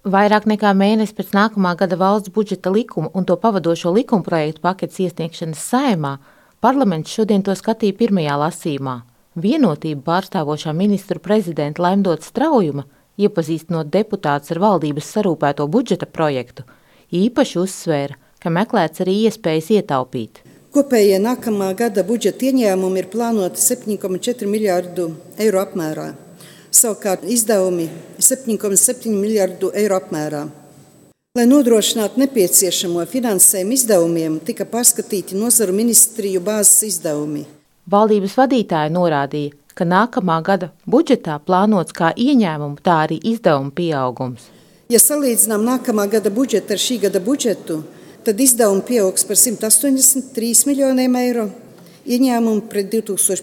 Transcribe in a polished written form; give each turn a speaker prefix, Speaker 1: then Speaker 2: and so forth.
Speaker 1: Vairāk nekā mēnesi pēc nākamā gada valsts budžeta likuma un to pavadošo likumprojektu paketes iesniegšanas Saeimā, parlaments šodien to skatīja pirmajā lasījumā. Vienotību pārstāvošā ministru prezidenta Laimdotas Straujuma, iepazīstinot deputātus ar valdības sarūpēto budžeta projektu, īpaši uzsvēra, ka meklēts arī iespējas ietaupīt.
Speaker 2: Kopējie nākamā gada budžeta ieņēmumi ir plānoti 7,4 miljārdu eiro apmērā. Savukārt izdevumi 7,7 miljārdu eiro apmērā. Lai nodrošinātu nepieciešamo finansējumu izdevumiem, tika pārskatīti nozaru ministriju bāzes izdevumi.
Speaker 1: Valdības vadītāja norādīja, ka nākamā gada budžetā plānots kā ieņēmumu, tā arī izdevumu pieaugums.
Speaker 2: Ja salīdzinām nākamā gada budžetu ar šī gada budžetu, tad izdevumi pieaugs par 183 miljoniem eiro, ieņēmumi pret 2015.